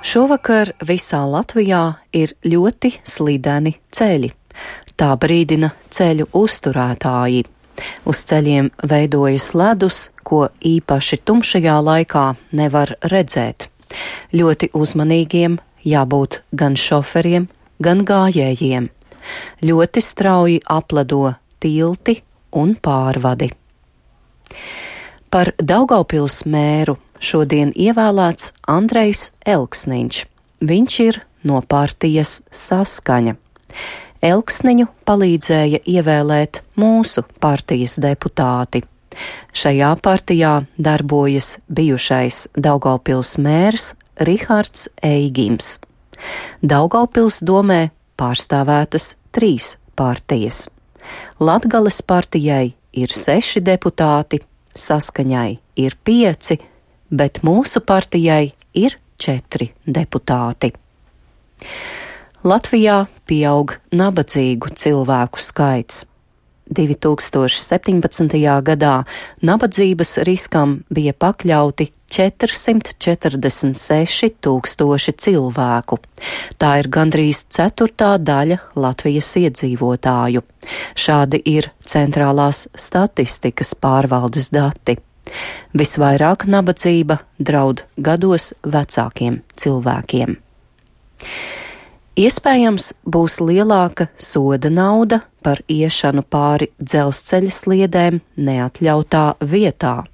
Šovakar visā Latvijā ir ļoti slideni ceļi. Tā brīdina ceļu uzturētāji. Uz ceļiem veidojas ledus, ko īpaši tumšajā laikā nevar redzēt. Ļoti uzmanīgiem jābūt gan šoferiem, gan gājējiem. Ļoti strauji apledo tilti un pārvadi. Par Daugavpils mēru šodien ievēlēts Andrejs Elksniņš. Viņš ir no partijas Saskaņa. Elksniņu palīdzēja ievēlēt mūsu partijas deputāti. Šajā partijā darbojas bijušais Daugavpils mērs Rihards Eigims. Daugavpils domē pārstāvētas 3 partijas. Latgales partijai ir 6 deputāti, Saskaņai ir 5, bet mūsu partijai ir 4 deputāti. Latvijā pieaug nabadzīgu cilvēku skaits. 2017. gadā nabadzības riskam bija pakļauti 446 000 cilvēku. Tā ir gandrīz 1/4 daļa Latvijas iedzīvotāju. Šādi ir centrālās statistikas pārvaldes dati. Visvairāk nabadzība draud gados vecākiem cilvēkiem. Iespējams, būs lielāka soda nauda par iešanu pāri dzelzceļa sliedēm neatļautā vietā.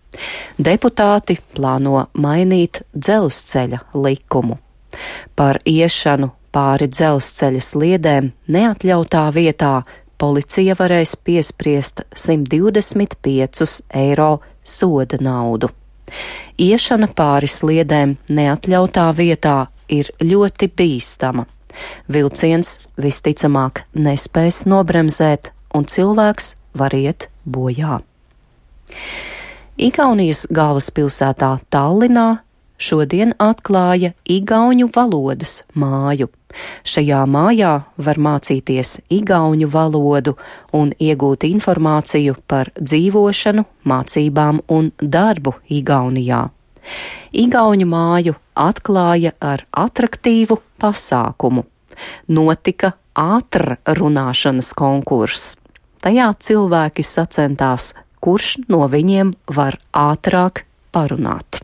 Deputāti plāno mainīt dzelzceļa likumu. Par iešanu pāri dzelzceļa sliedēm neatļautā vietā policija varēs piespriest 125 eiro soda naudu. Iešana pāri sliedēm neatļautā vietā ir ļoti bīstama. Vilciens visticamāk nespēs nobremzēt, un cilvēks var iet bojā. Igaunijas galvaspilsētā Tallinā šodien atklāja igauņu valodas māju. Šajā mājā var mācīties igauņu valodu un iegūt informāciju par dzīvošanu, mācībām un darbu Igaunijā. Igauņu māju atklāja ar atraktīvu pasākumu. Notika ātrrunāšanas konkurss. Tajā cilvēki sacentās, kurš no viņiem var ātrāk parunāt.